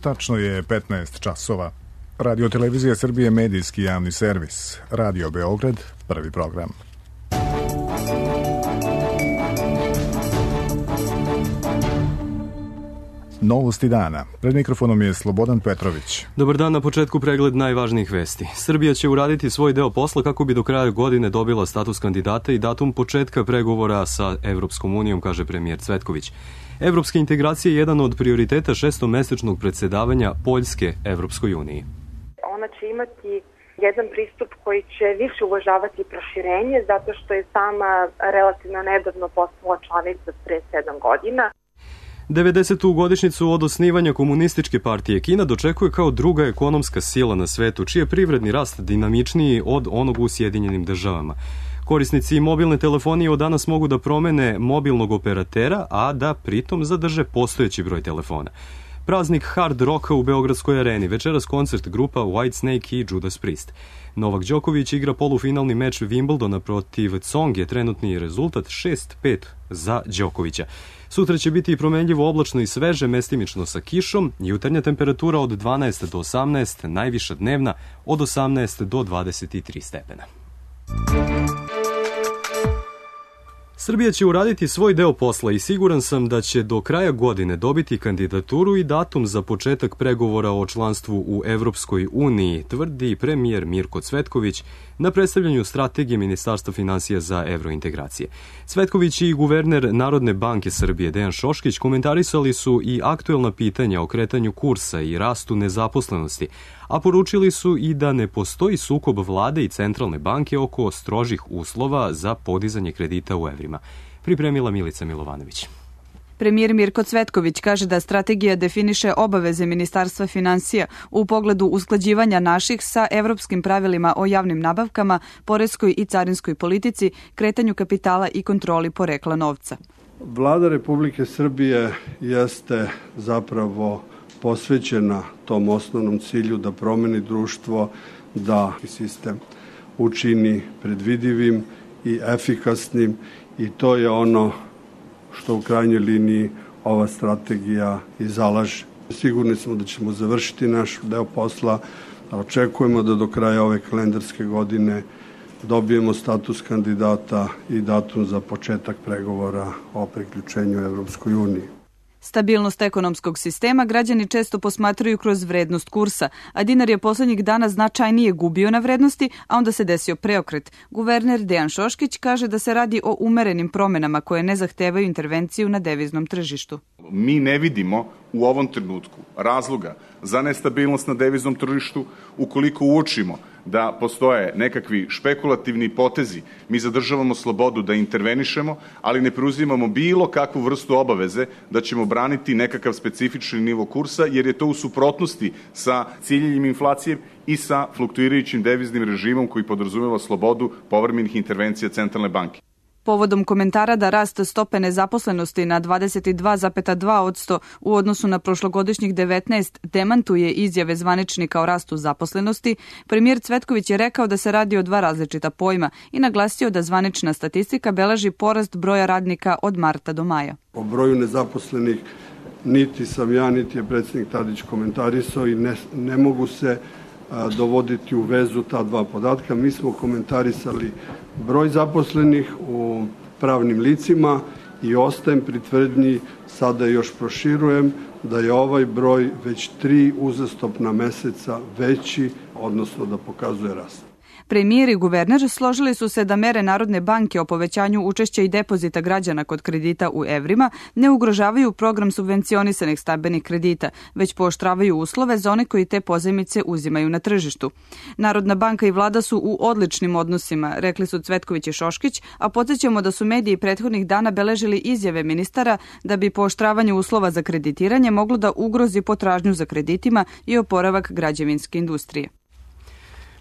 Tačno je 15 časova. Radio Televizija Srbije, medijski javni servis. Radio Beograd, prvi program. Novosti dana. Pred mikrofonom je Slobodan Petrović. Dobar dan, na početku pregled najvažnijih vesti. Srbija će uraditi svoj deo posla kako bi do kraja godine dobila status kandidata i datum početka pregovora sa Evropskom unijom, kaže premijer Cvetković. Evropska integracija je jedan od prioriteta šestomesečnog predsjedavanja Poljske Evropskoj uniji. Ona će imati jedan pristup koji će više uvažavati proširenje, zato što je sama relativno nedavno postala članica pre 7 godina. 90. godišnjicu od osnivanja Komunističke partije Kina dočekuje kao druga ekonomska sila na svetu, čiji je privredni rast dinamičniji od onog u Sjedinjenim državama. Korisnici mobilne telefonije od danas mogu da promene mobilnog operatera, a da pritom zadrže postojeći broj telefona. Praznik hard rocka u Beogradskoj areni, večeras koncert grupa Whitesnake i Judas Priest. Novak Đoković igra polufinalni meč Wimbledona protiv Tsonge, trenutni rezultat 6-5 za Đokovića. Sutra će biti promenljivo oblačno i sveže, mestimično sa kišom, jutarnja temperatura od 12 do 18, najviša dnevna od 18 do 23 stepena. Srbija će uraditi svoj deo posla i siguran sam da će do kraja godine dobiti kandidaturu i datum za početak pregovora o članstvu u Evropskoj uniji, tvrdi premijer Mirko Cvetković na predstavljanju strategije Ministarstva finansija za evrointegracije. Cvetković i guverner Narodne banke Srbije Dejan Šoškić komentarisali su i aktuelna pitanja o kretanju kursa i rastu nezaposlenosti, a poručili su i da ne postoji sukob vlade i centralne banke oko strožih uslova za podizanje kredita u evrima. Pripremila Milica Milovanović. Premijer Mirko Cvetković kaže da strategija definiše obaveze Ministarstva finansija u pogledu usklađivanja naših sa evropskim pravilima o javnim nabavkama, poreskoj i carinskoj politici, kretanju kapitala i kontroli porekla novca. Vlada Republike Srbije jeste zapravo posvećena tom osnovnom cilju da promeni društvo, da sistem učini predvidivim i efikasnim, i to je ono što u krajnjoj liniji ova strategija i zalaže. Sigurni smo da ćemo završiti naš deo posla, a očekujemo da do kraja ove kalendarske godine dobijemo status kandidata i datum za početak pregovora o priključenju Evropskoj uniji. Stabilnost ekonomskog sistema građani često posmatraju kroz vrednost kursa, a dinar je poslednjih dana značajnije gubio na vrednosti, a onda se desio preokret. Guverner Dejan Šoškić kaže da se radi o umerenim promenama koje ne zahtevaju intervenciju na deviznom tržištu. Mi ne vidimo u ovom trenutku razloga za nestabilnost na deviznom tržištu. Ukoliko uočimo da postoje nekakvi špekulativni potezi, mi zadržavamo slobodu da intervenišemo, ali ne preuzimamo bilo kakvu vrstu obaveze da ćemo braniti nekakav specifični nivo kursa, jer je to u suprotnosti sa ciljenjem inflacije i sa fluktuirajućim deviznim režimom koji podrazumeva slobodu povremenih intervencija Centralne banke. Povodom komentara da rast stope nezaposlenosti na 22,2% u odnosu na prošlogodišnjih 19 demantuje izjave zvaničnika o rastu zaposlenosti, premijer Cvetković je rekao da se radi o dva različita pojma i naglasio da zvanična statistika beleži porast broja radnika od marta do maja. O broju nezaposlenih niti sam ja, niti je predsjednik Tadić komentarisao i ne mogu se dovoditi u vezu ta dva podatka. Mi smo komentarisali broj zaposlenih u pravnim licima i ostajem pri tvrdnji, sada još proširujem, da je ovaj broj već 3 uzastopna meseca veći, odnosno da pokazuje rast. Premijer i guverner složili su se da mere Narodne banke o povećanju učešća i depozita građana kod kredita u evrima ne ugrožavaju program subvencionisanih stambenih kredita, već pooštravaju uslove za one koji te pozajmice uzimaju na tržištu. Narodna banka i vlada su u odličnim odnosima, rekli su Cvetković i Šoškić, a podsjećamo da su mediji prethodnih dana beležili izjave ministara da bi pooštravanje uslova za kreditiranje moglo da ugrozi potražnju za kreditima i oporavak građevinske industrije.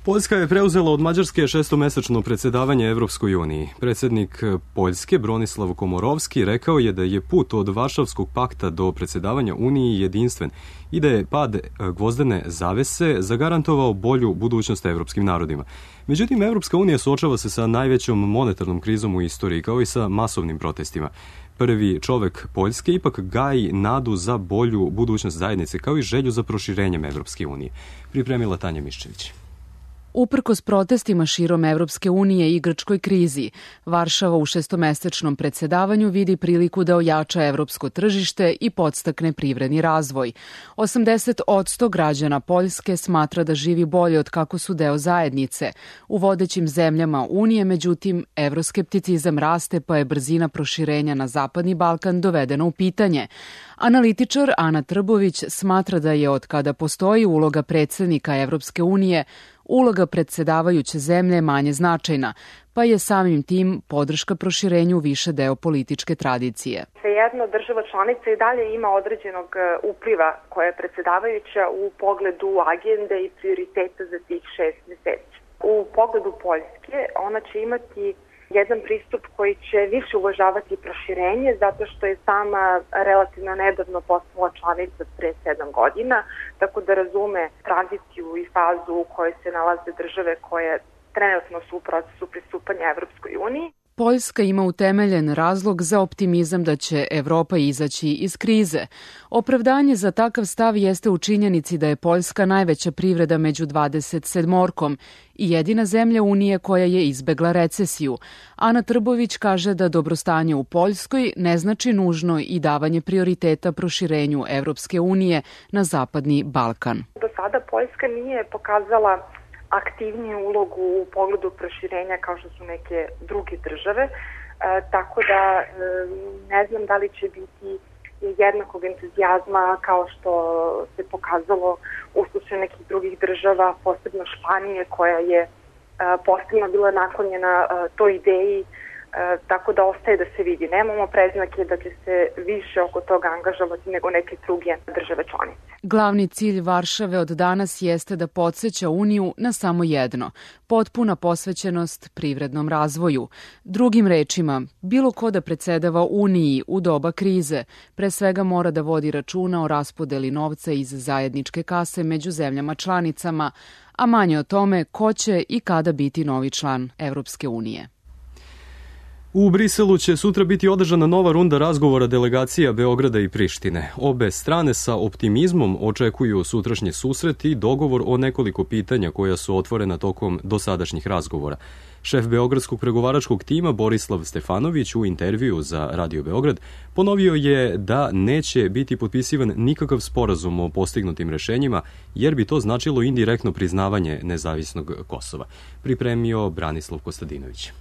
Poljska je preuzela od Mađarske 6-mesečno predsjedavanje Evropskoj uniji. Predsjednik Poljske, Bronislav Komorovski, rekao je da je put od Varšavskog pakta do predsjedavanja Uniji jedinstven i da je pad gvozdene zavese zagarantovao bolju budućnost evropskim narodima. Međutim, Evropska unija suočava se sa najvećom monetarnom krizom u istoriji, kao i sa masovnim protestima. Prvi čovek Poljske ipak gaji nadu za bolju budućnost zajednice, kao i želju za proširenjem Evropske unije. Pripremila Tanja Miščević. Uprkos protestima širom Evropske unije i grčkoj krizi, Varšava u 6-mesečnom predsjedavanju vidi priliku da ojača evropsko tržište i podstakne privredni razvoj. 80% građana Poljske smatra da živi bolje od kako su deo zajednice. U vodećim zemljama Unije, međutim, evroskepticizam raste pa je brzina proširenja na Zapadni Balkan dovedena u pitanje. Analitičar Ana Trbović smatra da je od kada postoji uloga predsjednika Evropske unije, uloga predsjedavajuće zemlje manje značajna, pa je samim tim podrška proširenju više deo političke tradicije. Svejedno, država članica i dalje ima određenog upliva koja je predsjedavajuća u pogledu agende i prioriteta za tih 6 meseci. U pogledu Poljske ona će imati jedan pristup koji će više uvažavati proširenje zato što je sama relativno nedavno postala članica pre 7 godina, tako da razume tradiciju i fazu u kojoj se nalaze države koje trenutno su u procesu pristupanja Evropskoj uniji. Poljska ima utemeljen razlog za optimizam da će Evropa izaći iz krize. Opravdanje za takav stav jeste u činjenici da je Poljska najveća privreda među 27-orkom i jedina zemlja Unije koja je izbegla recesiju. Ana Trbović kaže da dobrostanje u Poljskoj ne znači nužno i davanje prioriteta proširenju Evropske unije na Zapadni Balkan. Do sada Poljska nije pokazala aktivniju ulogu u pogledu proširenja kao što su neke druge države, tako da ne znam da li će biti jednakog entuzijazma kao što se pokazalo u slučaju nekih drugih država, posebno Španije koja je posebno bila naklonjena toj ideji, tako da ostaje da se vidi. Nemamo preznake da će se više oko toga angažovati nego neke druge države članice. Glavni cilj Varšave od danas jeste da podsjeća Uniju na samo jedno, potpuna posvećenost privrednom razvoju. Drugim rečima, bilo ko da predsjedava Uniji u doba krize, pre svega mora da vodi računa o raspodeli novca iz zajedničke kase među zemljama članicama, a manje o tome ko će i kada biti novi član Evropske unije. U Briselu će sutra biti održana nova runda razgovora delegacija Beograda i Prištine. Obe strane sa optimizmom očekuju sutrašnji susret i dogovor o nekoliko pitanja koja su otvorena tokom dosadašnjih razgovora. Šef beogradskog pregovaračkog tima Borislav Stefanović u intervju za Radio Beograd ponovio je da neće biti potpisivan nikakav sporazum o postignutim rešenjima, jer bi to značilo indirektno priznavanje nezavisnog Kosova. Pripremio Branislav Kostadinović.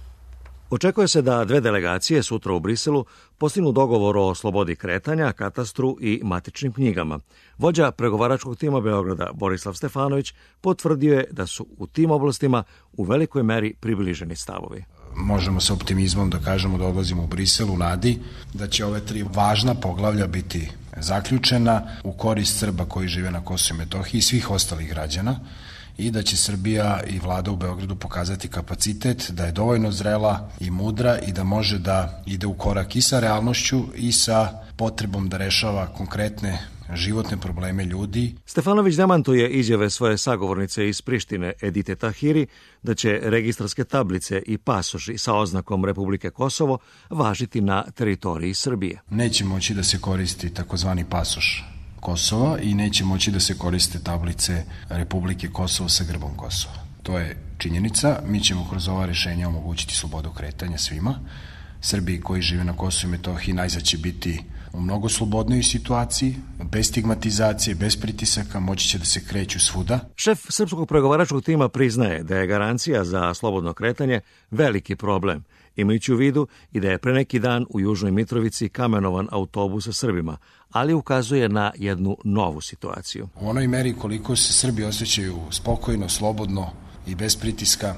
Očekuje se da dve delegacije sutra u Briselu postignu dogovor o slobodi kretanja, katastru i matičnim knjigama. Vođa pregovaračkog tima Beograda Borislav Stefanović potvrdio je da su u tim oblastima u velikoj meri približeni stavovi. Možemo sa optimizmom da kažemo da odlazimo u Brisel u nadi da će ove 3 važna poglavlja biti zaključena u korist Srba koji žive na Kosovu i Metohiji i svih ostalih građana, i da će Srbija i vlada u Beogradu pokazati kapacitet da je dovoljno zrela i mudra i da može da ide u korak i sa realnošću i sa potrebom da rešava konkretne životne probleme ljudi. Stefanović demantuje izjave svoje sagovornice iz Prištine Edite Tahiri da će registarske tablice i pasoši sa oznakom Republike Kosovo važiti na teritoriji Srbije. Neće moći da se koristi takozvani pasoš Kosova i neće moći da se koriste tablice Republike Kosovo sa grbom Kosova. To je činjenica. Mi ćemo kroz ova rešenja omogućiti slobodu kretanja svima. Srbi koji žive na Kosovu i Metohiji najzad će biti u mnogo slobodnoj situaciji, bez stigmatizacije, bez pritisaka, moći će da se kreću svuda. Šef srpskog pregovaračkog tima priznaje da je garancija za slobodno kretanje veliki problem, imajući u vidu i da je pre neki dan u Južnoj Mitrovici kamenovan autobus sa Srbima, ali ukazuje na jednu novu situaciju. U onoj meri koliko se Srbi osjećaju spokojno, slobodno i bez pritiska,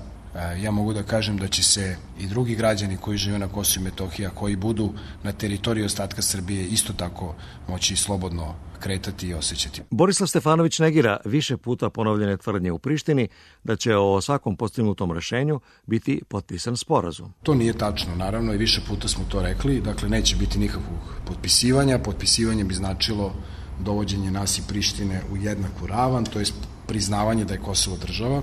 Ja mogu da kažem da će se i drugi građani koji žive na Kosovu i Metohiji, a koji budu na teritoriji ostatka Srbije, isto tako moći slobodno kretati i osjećati. Borislav Stefanović negira više puta ponovljene tvrdnje u Prištini da će o svakom postignutom rešenju biti potpisan sporazum. To nije tačno, naravno, i više puta smo to rekli. Dakle, neće biti nikakvog potpisivanja. Potpisivanje bi značilo dovođenje nas i Prištine u jednaku ravan, to je priznavanje da je Kosovo država.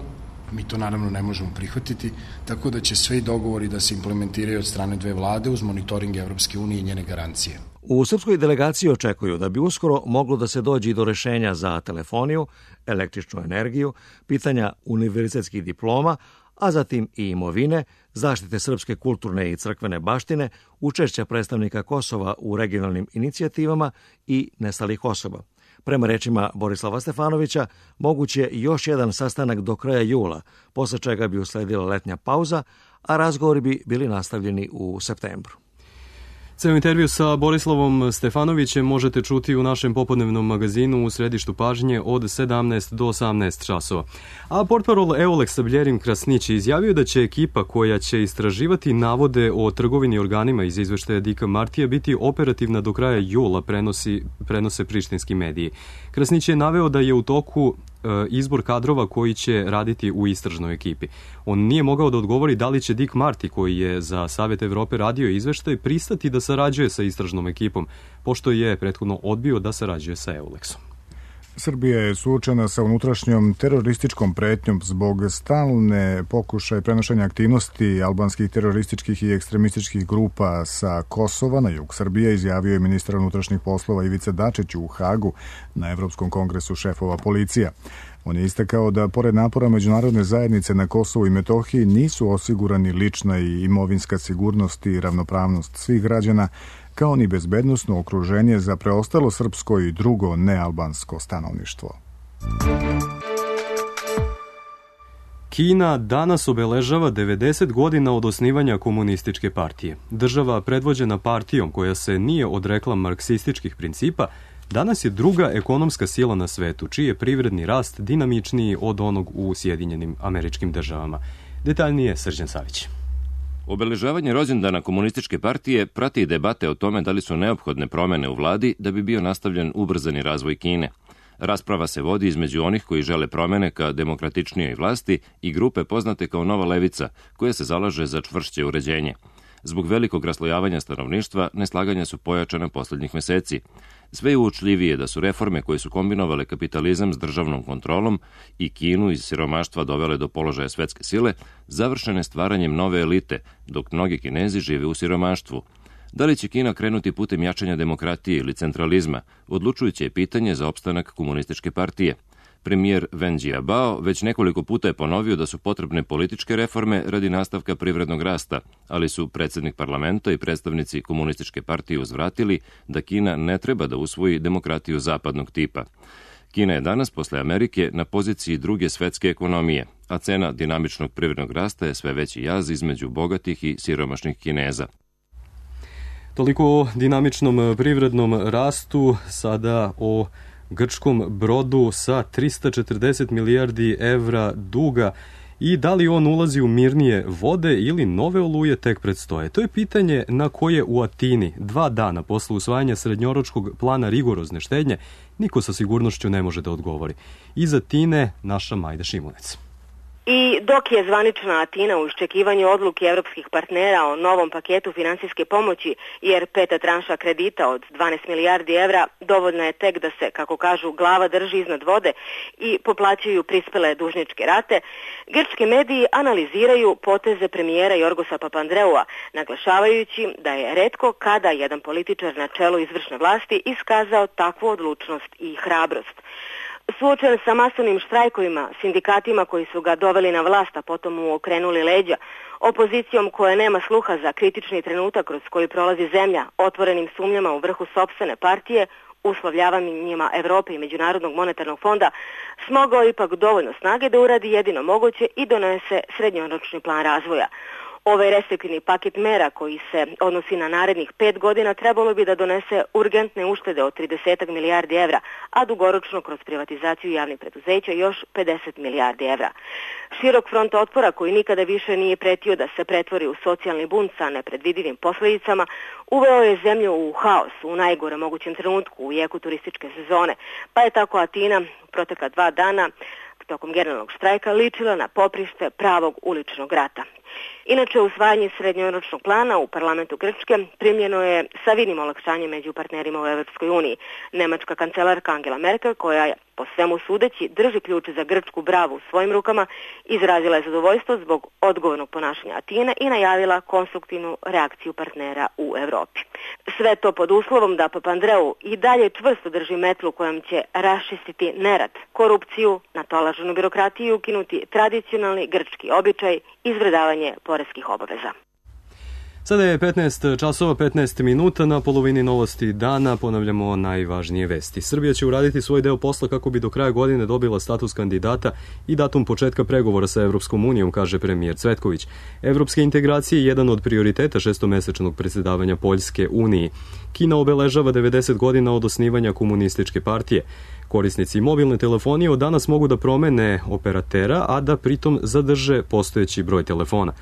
Mi to naravno ne možemo prihvatiti, tako da će sve dogovori da se implementiraju od strane dve vlade uz monitoring Evropske unije i njene garancije. U srpskoj delegaciji očekuju da bi uskoro moglo da se dođe i do rešenja za telefoniju, električnu energiju, pitanja univerzitetskih diploma, a zatim i imovine, zaštite srpske kulturne i crkvene baštine, učešća predstavnika Kosova u regionalnim inicijativama i nestalih osoba. Prema rečima Borislava Stefanovića, moguće je još jedan sastanak do kraja jula, posle čega bi usledila letnja pauza, a razgovori bi bili nastavljeni u septembru. Ceo intervju sa Borislavom Stefanovićem možete čuti u našem popodnevnom magazinu u središtu pažnje od 17 do 18 časova. A portparol EULEX-a Bljerim Krasnić izjavio da će ekipa koja će istraživati navode o trgovini organima iz izveštaja Dika Martija biti operativna do kraja jula, prenose prištinski mediji. Krasnić je naveo da je u toku izbor kadrova koji će raditi u istražnoj ekipi. On nije mogao da odgovori da li će Dick Marty, koji je za Savet Evrope radio izveštaj, pristati da sarađuje sa istražnom ekipom, pošto je prethodno odbio da sarađuje sa EULEX-om. Srbija je suočena sa unutrašnjom terorističkom pretnjom zbog stalne pokušaja prenošenja aktivnosti albanskih terorističkih i ekstremističkih grupa sa Kosova na jug Srbije, izjavio je ministar unutrašnjih poslova Ivica Dačić u Hagu na Evropskom kongresu šefova policija. On je istakao da, pored napora međunarodne zajednice na Kosovu i Metohiji, nisu osigurani lična i imovinska sigurnost i ravnopravnost svih građana, kao ni bezbednosno okruženje za preostalo srpsko i drugo nealbansko stanovništvo. Kina danas obeležava 90 godina od osnivanja komunističke partije. Država predvođena partijom koja se nije odrekla marksističkih principa, danas je druga ekonomska sila na svetu, čiji je privredni rast dinamičniji od onog u Sjedinjenim Američkim Državama. Detaljnije Srđan Savić. Obeležavanje rođendana komunističke partije prati i debate o tome da li su neophodne promene u vladi da bi bio nastavljen ubrzani razvoj Kine. Rasprava se vodi između onih koji žele promene ka demokratičnijoj vlasti i grupe poznate kao Nova levica, koja se zalaže za čvršće uređenje. Zbog velikog raslojavanja stanovništva, neslaganja su pojačana poslednjih meseci. Sve je uočljivije da su reforme koje su kombinovale kapitalizam s državnom kontrolom i Kinu iz siromaštva dovele do položaja svetske sile, završene stvaranjem nove elite, dok mnogi Kinezi žive u siromaštvu. Da li će Kina krenuti putem jačanja demokratije ili centralizma, odlučujuće je pitanje za opstanak komunističke partije. Premijer Wen Jiabao već nekoliko puta je ponovio da su potrebne političke reforme radi nastavka privrednog rasta, ali su predsjednik parlamenta i predstavnici komunističke partije uzvratili da Kina ne treba da usvoji demokratiju zapadnog tipa. Kina je danas posle Amerike na poziciji druge svetske ekonomije, a cena dinamičnog privrednog rasta je sve veći jaz između bogatih i siromašnih Kineza. Toliko o dinamičnom privrednom rastu, sada o grčkom brodu sa 340 milijardi evra duga i da li on ulazi u mirnije vode ili nove oluje tek predstoje. To je pitanje na koje u Atini 2 dana posle usvajanja srednjoročkog plana rigorozne štednje niko sa sigurnošću ne može da odgovori. Iz Atine naša Majda Šimunec. I dok je zvanična Atina u iščekivanju odluke evropskih partnera o novom paketu finansijske pomoći, jer peta tranša kredita od 12 milijardi evra dovoljna je tek da se, kako kažu, glava drži iznad vode i poplaćuju prispele dužničke rate, grčki mediji analiziraju poteze premijera Jorgosa Papandreua, naglašavajući da je retko kada jedan političar na čelu izvršne vlasti iskazao takvu odlučnost i hrabrost. Suočen sa masovnim štrajkovima, sindikatima koji su ga doveli na vlast, a potom mu okrenuli leđa, opozicijom koja nema sluha za kritični trenutak kroz koji prolazi zemlja, otvorenim sumnjama u vrhu sopstvene partije, uslovljavanjima Evrope i Međunarodnog monetarnog fonda, smogao ipak dovoljno snage da uradi jedino moguće i donese srednjoročni plan razvoja. Ovaj restriktivni paket mera koji se odnosi na narednih 5 godina trebalo bi da donese urgentne uštede od 30 milijardi evra, a dugoročno kroz privatizaciju javnih preduzeća još 50 milijardi evra. Širok front otpora koji nikada više nije pretio da se pretvori u socijalni bunt sa nepredvidivim posledicama, uveo je zemlju u haos u najgore mogućem trenutku u jeku turističke sezone, pa je tako Atina protekla 2 dana tokom generalnog štrajka ličila na poprište pravog uličnog rata. Inače, usvajanje srednjoročnog plana u parlamentu Grčke primljeno je sa vidnim olakšanjem među partnerima u Evropskoj uniji. Nemačka kancelarka Angela Merkel, koja po svemu sudeći drži ključ za grčku bravu u svojim rukama, izrazila je zadovoljstvo zbog odgovornog ponašanja Atine i najavila konstruktivnu reakciju partnera u Evropi. Sve to pod uslovom da Papandreou i dalje čvrsto drži metlu kojom će raščistiti nerad, korupciju, natolaženu birokratiju i ukinuti tradicionalni grčki običaj izvredavanje poreskih obaveza. Sada je 15 časova 15 minuta, na polovini novosti dana ponavljamo najvažnije vesti. Srbija će uraditi svoj deo posla kako bi do kraja godine dobila status kandidata i datum početka pregovora sa Evropskom unijom, kaže premijer Cvetković. Evropske integracije je jedan od prioriteta šestomesečnog predsjedavanja Poljske Uniji. Kina obeležava 90 godina od osnivanja komunističke partije. Korisnici mobilne telefonije od danas mogu da promene operatera, a da pritom zadrže postojeći broj telefona.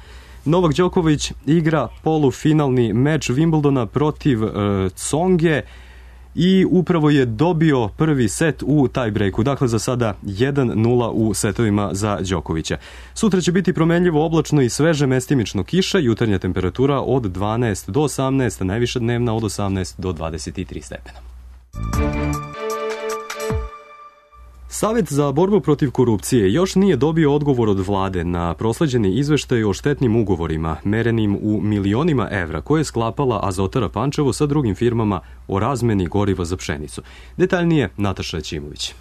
Novak Đoković igra polufinalni meč Wimbledona protiv Tsonge i upravo je dobio prvi set u tiebreaku. Dakle, za sada 1-0 u setovima za Đokovića. Sutra će biti promenljivo oblačno i sveže mestimično kiša, jutarnja temperatura od 12 do 18, najviša dnevna od 18 do 23 stepena. Savet za borbu protiv korupcije još nije dobio odgovor od vlade na prosleđeni izveštaj o štetnim ugovorima, merenim u milionima evra, koje je sklapala Azotara Pančevo sa drugim firmama o razmeni goriva za pšenicu. Detaljnije Nataša Ćimović.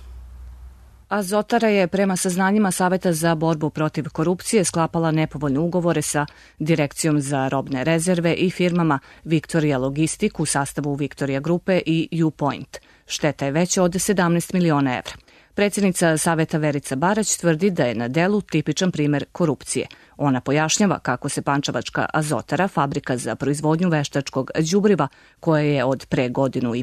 Azotara je prema saznanjima Saveta za borbu protiv korupcije sklapala nepovoljne ugovore sa Direkcijom za robne rezerve i firmama Victoria Logistik u sastavu Victoria Grupe i U-Point. Šteta je veća od 17 miliona evra. Predsjednica Saveta Verica Barać tvrdi da je na delu tipičan primer korupcije. Ona pojašnjava kako se pančevačka Azotara, fabrika za proizvodnju veštačkog đubriva, koja je od pre 1.5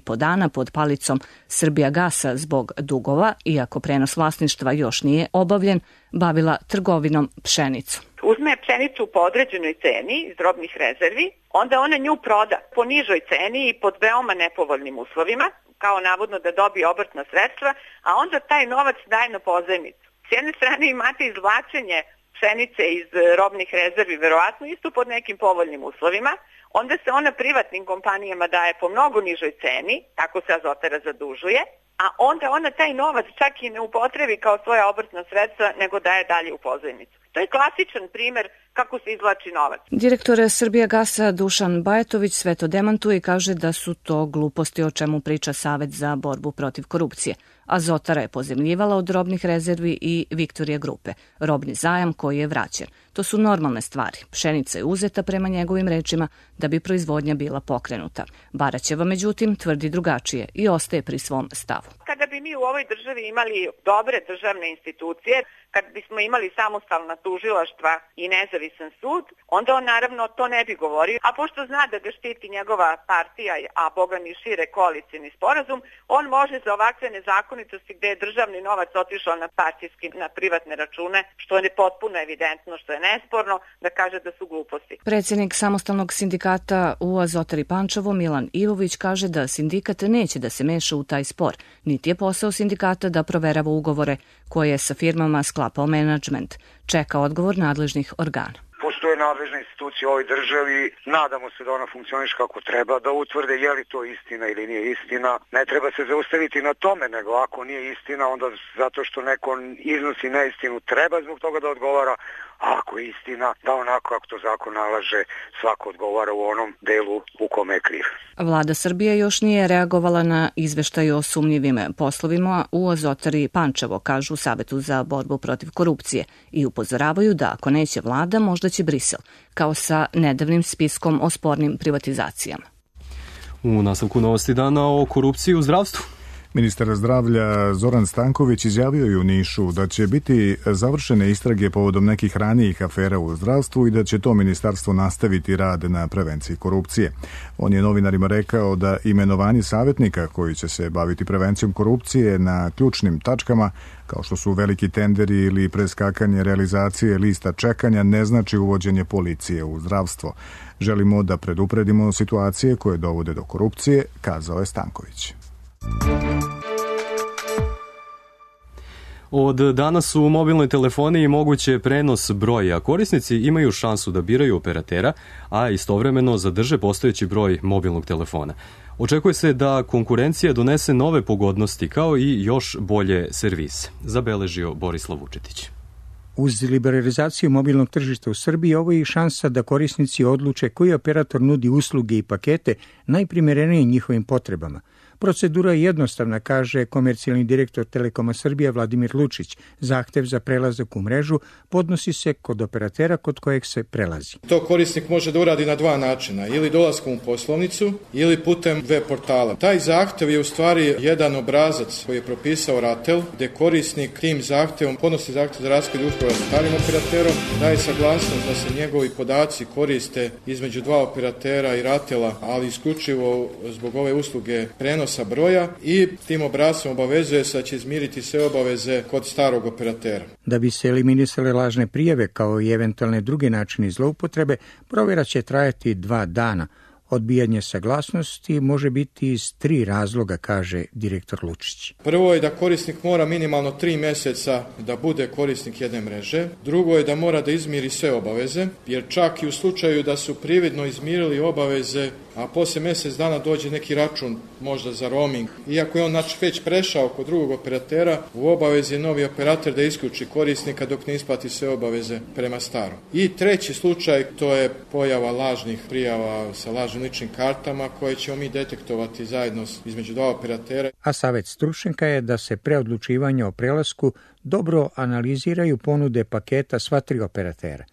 godina pod palicom Srbijagasa zbog dugova, iako prenos vlasništva još nije obavljen, bavila trgovinom pšenicu. Uzme pšenicu po određenoj ceni iz robnih rezervi, onda ona nju proda po nižoj ceni i pod veoma nepovoljnim uslovima, kao navodno da dobije obrtna sredstva, a onda taj novac daje na pozajmicu. S jedne strane imate izvlačenje pšenice iz robnih rezervi, verovatno isto pod nekim povoljnim uslovima, onda se ona privatnim kompanijama daje po mnogo nižoj ceni, tako se Azotara zadužuje, a onda ona taj novac čak i ne upotrebi kao svoja obrtna sredstva, nego daje dalje u pozajmicu. To je klasičan primer kako se izvlači novac. Direktor Srbijagasa Dušan Bajetović sve to demantuje i kaže da su to gluposti o čemu priča Savet za borbu protiv korupcije. Azotara je pozemljivala od robnih rezervi i Victoria Grupe, robni zajam koji je vraćen. To su normalne stvari. Pšenica je uzeta prema njegovim rečima da bi proizvodnja bila pokrenuta. Baraćeva, međutim, tvrdi drugačije i ostaje pri svom stavu. Kada bi mi u ovoj državi imali dobre državne institucije, kad bismo imali samostalna tužilaštva i nezavisan sud, onda on naravno to ne bi govorio, a pošto zna da ga štiti njegova partija, a boga mi šire koalicijni sporazum, on može za ovakve nezakonitosti gde je državni novac otišao na partijski, na privatne račune, što je potpuno evidentno, što je nesporno, da kaže da su gluposti. Predsjednik samostalnog sindikata u Azotari Pančevo, Milan Ivović, kaže da sindikat neće da se meša u taj spor, niti je posao sindikata da proverava ugovore koje je sa firmama sklapao menadžment. Čeka odgovor nadležnih organa. Postoje nadležne institucije u ovoj državi, nadamo se da ona funkcioniše kako treba, da utvrde je li to istina ili nije istina. Ne treba se zaustaviti na tome, nego ako nije istina, onda zato što neko iznosi neistinu, treba zbog toga da odgovara, a ako je istina, da onako kako to zakon nalaže, svako odgovara u onom delu u kome je kriv. Vlada Srbije još nije reagovala na izveštaj o sumnjivim poslovima u Azotari Pančevo, kažu u Savetu za borbu protiv korupcije, i upozoravaju da ako neće vlada, možda će Brisel, kao sa nedavnim spiskom o spornim privatizacijama. U nastavku novosti dana o korupciji u zdravstvu. Ministar zdravlja Zoran Stanković izjavio je u Nišu da će biti završene istrage povodom nekih ranijih afera u zdravstvu i da će to ministarstvo nastaviti rad na prevenciji korupcije. On je novinarima rekao da imenovanje savjetnika koji će se baviti prevencijom korupcije na ključnim tačkama, kao što su veliki tenderi ili preskakanje realizacije lista čekanja, ne znači uvođenje policije u zdravstvo. Želimo da predupredimo situacije koje dovode do korupcije, kazao je Stanković. Od danas u mobilnoj telefoniji moguće prenos broja. Korisnici imaju šansu da biraju operatera, a istovremeno zadrže postojeći broj mobilnog telefona. Očekuje se da konkurencija donese nove pogodnosti kao i još bolje servise, zabeležio Borislav Vučetić. Uz liberalizaciju mobilnog tržišta u Srbiji, ovo je i šansa da korisnici odluče koji operator nudi usluge i pakete najprimerenije njihovim potrebama. Procedura je jednostavna, kaže komercijalni direktor Telekoma Srbije Vladimir Lučić. Zahtev za prelazak u mrežu podnosi se kod operatera kod kojeg se prelazi. To korisnik može da uradi na dva načina, ili dolaskom u poslovnicu ili putem web portala. Taj zahtev je u stvari jedan obrazac koji je propisao RATEL, gde korisnik tim zahtevom podnosi zahtev za raskid ugovora sa starim operaterom, daje saglasnost da se njegovi podaci koriste između dva operatera i RATELa, ali isključivo zbog ove usluge prenosa broja, i tim obrascom obavezuje se da će izmiriti sve obaveze kod starog operatera. Da bi se eliminisale lažne prijave kao i eventualne druge načine zloupotrebe, provjera će trajati 2 dana. Odbijanje saglasnosti može biti iz 3 razloga, kaže direktor Lučić. Prvo je da korisnik mora minimalno 3 meseca da bude korisnik jedne mreže. Drugo je da mora da izmiri sve obaveze, jer čak i u slučaju da su prividno izmirili obaveze, a posle mjesec dana dođe neki račun možda za roaming, iako je on već prešao kod drugog operatera, u obavezi je novi operator da isključi korisnika dok ne isplati sve obaveze prema starom. I treći slučaj, to je pojava lažnih prijava sa lažnim ličnim kartama koje ćemo mi detektovati zajedno između dva operatera. A savjet stručnjaka je da se pre odlučivanja o prelasku dobro analiziraju ponude paketa sva 3 operatera.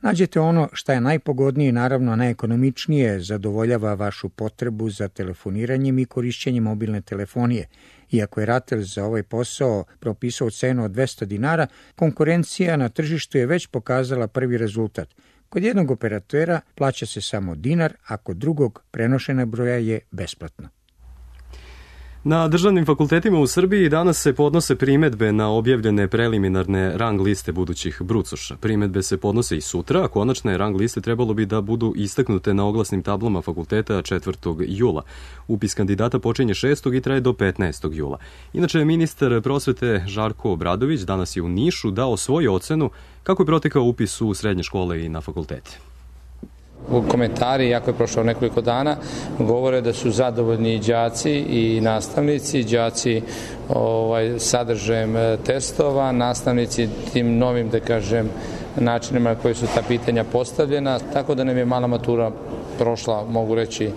Nađete ono šta je najpogodnije i naravno najekonomičnije, zadovoljava vašu potrebu za telefoniranjem i korišćenjem mobilne telefonije. Iako je RATEL za ovaj posao propisao cenu od 200 dinara, konkurencija na tržištu je već pokazala prvi rezultat. Kod jednog operatera plaća se samo dinar, a kod drugog prenošena broja je besplatno. Na državnim fakultetima u Srbiji danas se podnose primedbe na objavljene preliminarne rang liste budućih brucoša. Primedbe se podnose i sutra, a konačne rang liste trebalo bi da budu istaknute na oglasnim tablama fakulteta 4. jula. Upis kandidata počinje 6. i traje do 15. jula. Inače, ministar prosvete Žarko Obradović danas je u Nišu dao svoju ocenu kako je protekao upis u srednje škole i na fakultete. Komentari, jako je prošlo nekoliko dana, govore da su zadovoljni đaci i nastavnici, đaci sadržajem testova, nastavnici tim novim, da kažem, načinima na koji su ta pitanja postavljena, tako da nam je mala matura prošla, mogu reći,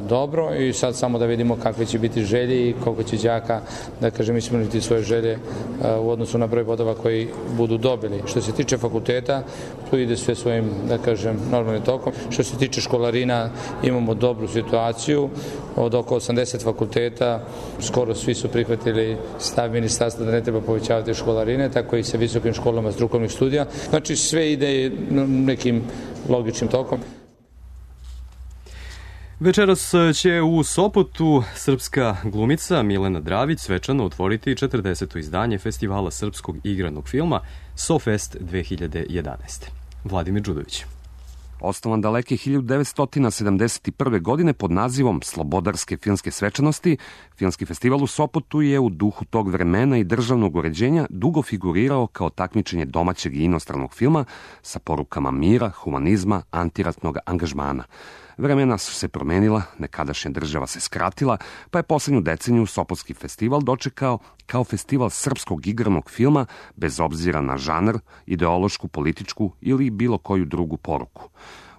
dobro, i sad samo da vidimo kakve će biti želje i koliko će đaka, da kažem, ispuniti svoje želje u odnosu na broj bodova koji budu dobili. Što se tiče fakulteta, tu ide sve svojim, da kažem, normalnim tokom. Što se tiče školarina, imamo dobru situaciju. Od oko 80 fakulteta, skoro svi su prihvatili stav ministarstva da ne treba povećavati školarine, tako i sa visokim školama strukovnih studija. Znači, sve ide nekim logičnim tokom. Večeras će u Sopotu srpska glumica Milena Dravić svečano otvoriti 40. izdanje Festivala srpskog igranog filma SoFest 2011. Vladimir Đudović. Osnovan daleke 1971. godine pod nazivom Slobodarske filmske svečanosti, Filmski festival u Sopotu je u duhu tog vremena i državnog uređenja dugo figurirao kao takmičenje domaćeg i inostranog filma sa porukama mira, humanizma, antiratnog angažmana. Vremena su se promenila, nekadašnja država se skratila, pa je poslednju deceniju Sopotski festival dočekao kao festival srpskog igranog filma bez obzira na žanr, ideološku, političku ili bilo koju drugu poruku.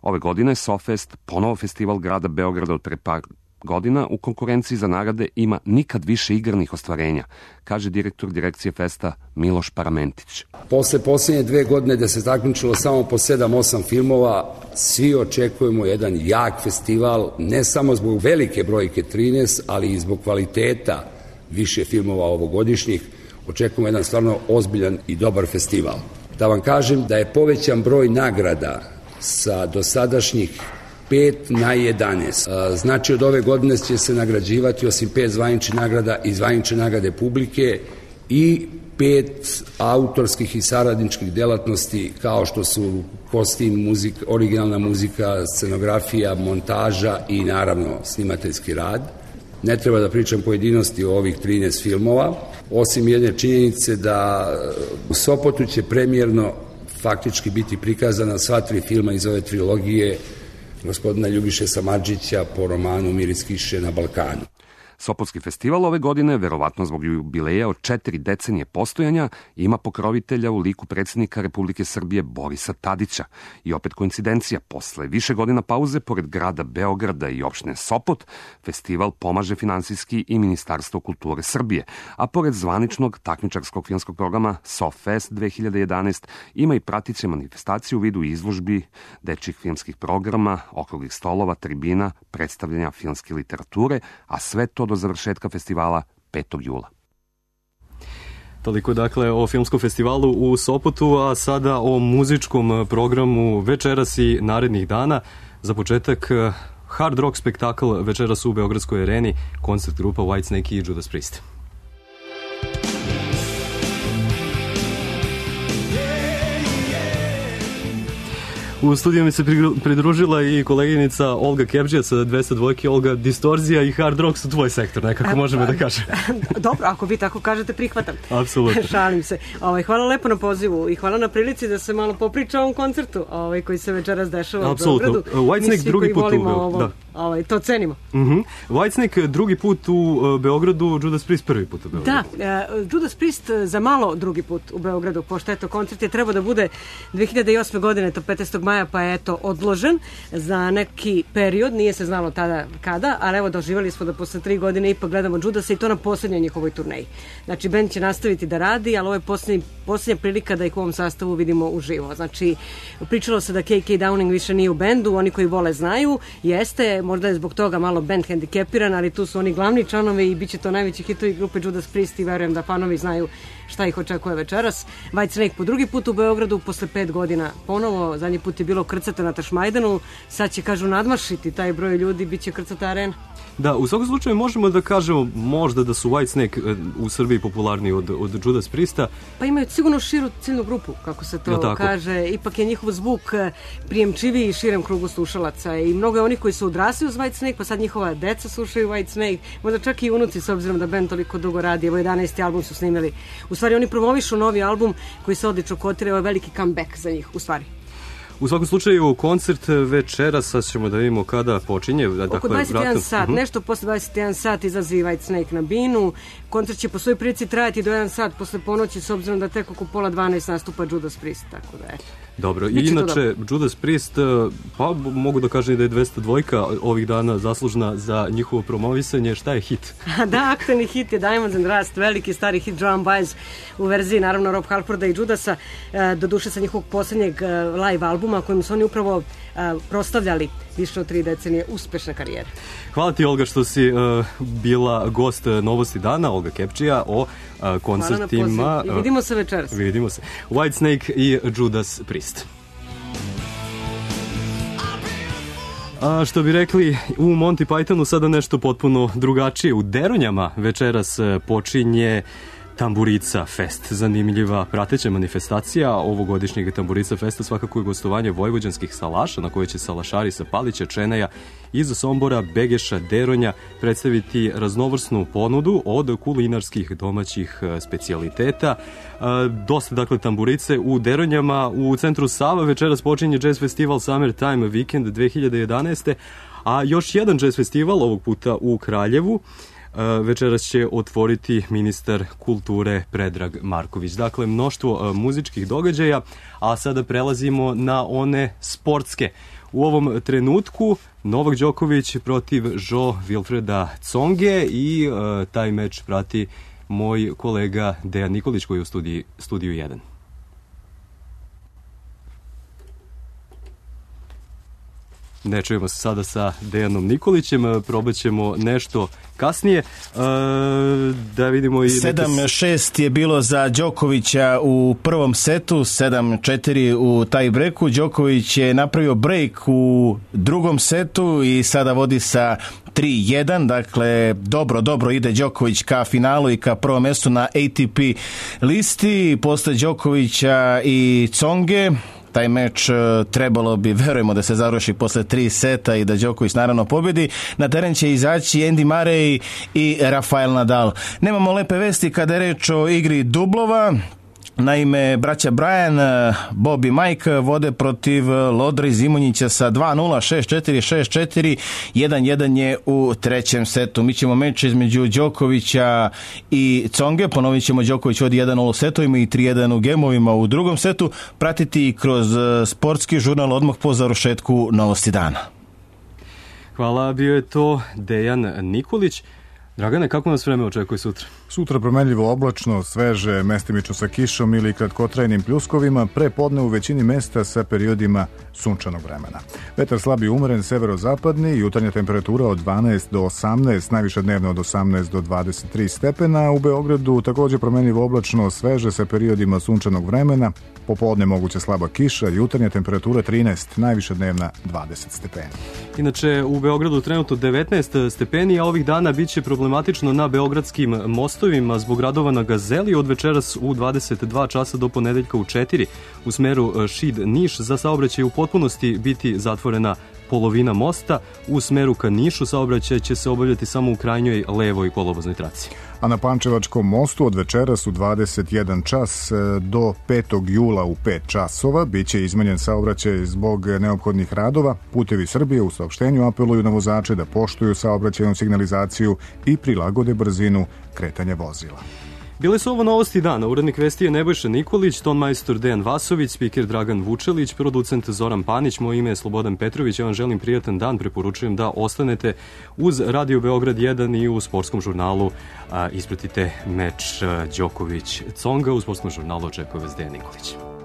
Ove godine SoFest, ponovo festival grada Beograda od pre par godina, u konkurenciji za nagrade ima nikad više igranih ostvarenja, kaže direktor direkcije festa Miloš Paramentić. Posle posljednje 2 godine da se takmičilo samo po 7-8 filmova, svi očekujemo jedan jak festival, ne samo zbog velike brojke 13, ali i zbog kvaliteta više filmova ovogodišnjih. Očekujemo jedan stvarno ozbiljan i dobar festival. Da vam kažem da je povećan broj nagrada sa dosadašnjih 5 na 11. Znači od ove godine će se nagrađivati osim 5 zvaničnih nagrada i zvanične nagrade publike i 5 autorskih i saradničkih delatnosti kao što su kostim, originalna muzika, scenografija, montaža i naravno snimateljski rad. Ne treba da pričam pojedinosti o ovih 13 filmova, osim jedne činjenice da u Sopotu će premijerno faktički biti prikazana sva 3 filma iz ove trilogije gospodina Ljubiše Samardžića po romanu Mir iz kiše na Balkanu. Sopotski festival ove godine, verovatno zbog jubileja od 4 decenije postojanja, ima pokrovitelja u liku predsjednika Republike Srbije Borisa Tadića. I opet koincidencija, posle više godina pauze, pored grada Beograda i opštine Sopot, festival pomaže finansijski i Ministarstvo kulture Srbije, a pored zvaničnog takmičarskog filmskog programa SoFest 2011 ima i pratiće manifestaciju u vidu izložbi, dečjih filmskih programa, okruglih stolova, tribina, predstavljanja filmske literature, a sve to do završetka festivala 5. jula. Toliko dakle o filmskom festivalu u Sopotu, a sada o muzičkom programu večeras i narednih dana. Za početak hard rock spektakl večeras u Beogradskoj areni, koncert grupa Whitesnake i Judas Priest. U studiju mi se pridružila i koleginica Olga Kebđija sa 202. Olga, distorzija i hard rock su tvoj sektor, nekako možemo da kažem. Dobro, ako vi tako kažete, prihvatam. Apsolutno. Šalim se. Hvala lepo na pozivu i hvala na prilici da se malo popriča o ovom koncertu koji se večeras dešava u Beogradu. Whitesnake drugi put u Beogradu. To cenimo. Whitesnake drugi put u Beogradu, Judas Priest prvi put u Beogradu. Da, Judas Priest za malo drugi put u Beogradu, pošto eto koncert je trebao da bude 2008. godine, to 15. maja, pa je eto odložen za neki period, nije se znalo tada kada, ali evo doživjeli smo da posle 3 godine ipak gledamo Judasa i to na posljednjoj njihovoj turneji. Znači, bend će nastaviti da radi, ali ovo je posljednja prilika da ih u ovom sastavu vidimo uživo. Znači, pričalo se da KK Downing više nije u bendu, oni koji vole znaju, jeste, možda je zbog toga malo bend hendikepiran, ali tu su oni glavni članovi i bit će to najveći hitovi grupe Judas Priest i verujem da fanovi znaju šta ih očekuje večeras. Whitesnake po drugi put u Beogradu, posle 5 godina ponovo, zadnji put je bilo krcato na Tašmajdanu, sad će, kažu, nadmašiti taj broj ljudi, bit će krcata arena. Da, u svakom slučaju možemo da kažemo možda da su Whitesnake u Srbiji popularniji od Judas Priesta. Pa imaju sigurno širu ciljnu grupu, kako se to kaže. Ipak je njihov zvuk prijemčiviji širem krugu slušalaca i mnogo je onih koji su odrasli uz Whitesnake, pa sad njihova deca slušaju Whitesnake, možda čak i unuci, s obzirom da band toliko dugo radi. Evo 11. album su snimili. U stvari oni promovišu novi album koji se odlično kotira, ovo je veliki comeback za njih, u stvari. U svakom slučaju, koncert večera, sad ćemo da vidimo kada počinje. Oko 21 sat, nešto posle 21 sat izlazi Whitesnake na binu. Koncert će po svojoj prilici trajati do 1 sat posle ponoći, s obzirom da tek oko 11:30 nastupa Judas Priest, tako da je. Dobro, i inače Judas Priest, pa mogu da kažem da je 202 ovih dana zaslužna za njihovo promovisanje. Šta je hit? Da, aktualni hit je Diamonds and Rust, veliki stari hit Drum Bass u verziji, naravno, Rob Halforda i Judasa, doduše sa njihovog posljednjeg live albuma kojim su oni upravo proslavljali više od 3 decenije uspešne karijere. Hvala ti, Olga, što si bila gost Novosti dana, Olga Kepčija, o koncertima. I vidimo se večeras. Vidimo se. Whitesnake i Judas Priest. A što bi rekli u Monty Pythonu, sada nešto potpuno drugačije. U Deronjama večeras počinje Tamburica Fest. Zanimljiva prateća manifestacija ovogodišnjeg Tamburica Festa svakako je gostovanje vojvođanskih salaša, na koje će salašari sa Palića, Čeneja, iz Sombora, Begeša, Deronja predstaviti raznovrsnu ponudu od kulinarskih domaćih specijaliteta. Dosta, dakle, tamburice u Deronjama. U centru Sava večeras počinje Jazz Festival Summertime Weekend 2011. A još jedan jazz festival, ovog puta u Kraljevu, večeras će otvoriti ministar kulture Predrag Marković. Dakle, mnoštvo muzičkih događaja, a sada prelazimo na one sportske. U ovom trenutku Novak Đoković protiv Jo Wilfreda Tsonge i taj meč prati moj kolega Dejan Nikolić koji je u studiju 1. Ne čujemo se sada sa Dejanom Nikolićem, probat ćemo nešto kasnije. Da vidimo i 7-6 je bilo za Đokovića u prvom setu, 7-4 u taj breku. Đoković je napravio break u drugom setu i sada vodi sa 3-1, dakle dobro ide Đoković ka finalu i ka prvom mestu na ATP listi. Posle Đokovića i Tsonge taj meč trebalo bi, verujemo, da se završi posle 3 seta i da Đoković naravno pobedi. Na teren će izaći Andy Murray i Rafael Nadal. Nemamo lepe vesti kada je reč o igri dublova. Naime, braća Brian, Bob i Mike vode protiv Lodra i Zimonjića sa 2-0, 6-4, 6-4, 1-1 je u trećem setu. Mi ćemo meč između Đokovića i Tsonge, ponovit ćemo, Đoković vodi 1-0 u setovima i 3-1 u gemovima u drugom setu, pratiti kroz sportski žurnal odmah po završetku Novosti dana. Hvala, bio je to Dejan Nikolić. Dragane, kako nas vreme očekuje sutra? Sutra promenljivo oblačno, sveže, mestimično sa kišom ili kratkotrajnim pljuskovima, pre podne u većini mesta sa periodima sunčanog vremena. Vetar slab i umeren, severozapadni, jutarnja temperatura od 12 do 18, najviša dnevno od 18 do 23 stepena. U Beogradu takođe promenljivo oblačno, sveže sa periodima sunčanog vremena, popodne moguća slaba kiša, jutarnja temperatura 13, najviša dnevna 20 stepeni. Inače, u Beogradu trenutno 19 stepeni, a ovih dana biće problematično na beogradskim mostovima zbog radova na Gazeli od večeras u 22 časa do ponedeljka u 4 u smeru Šid-Niš. Za saobraćaj u potpunosti biti zatvorena polovina mosta. U smeru ka Nišu saobraćaj će se obavljati samo u krajnjoj levoj kolovoznoj traci. A na Pančevačkom mostu od večeras u 21 čas do 5. jula u 5 časova biće izmenjen saobraćaj zbog neophodnih radova. Putevi Srbije u saopštenju apeluju na vozače da poštuju saobraćajnu signalizaciju i prilagode brzinu kretanja vozila. Bile su ovo novosti dana. Urednik vesti je Nebojša Nikolić, ton majstor Dejan Vasović, spiker Dragan Vučelić, producent Zoran Panić, moje ime je Slobodan Petrović. Ja vam želim prijatan dan, preporučujem da ostanete uz Radio Beograd 1 i u sportskom žurnalu ispratite meč Đoković-Tsonga. U sportskom žurnalu očekuje vas Dejan Nikolić.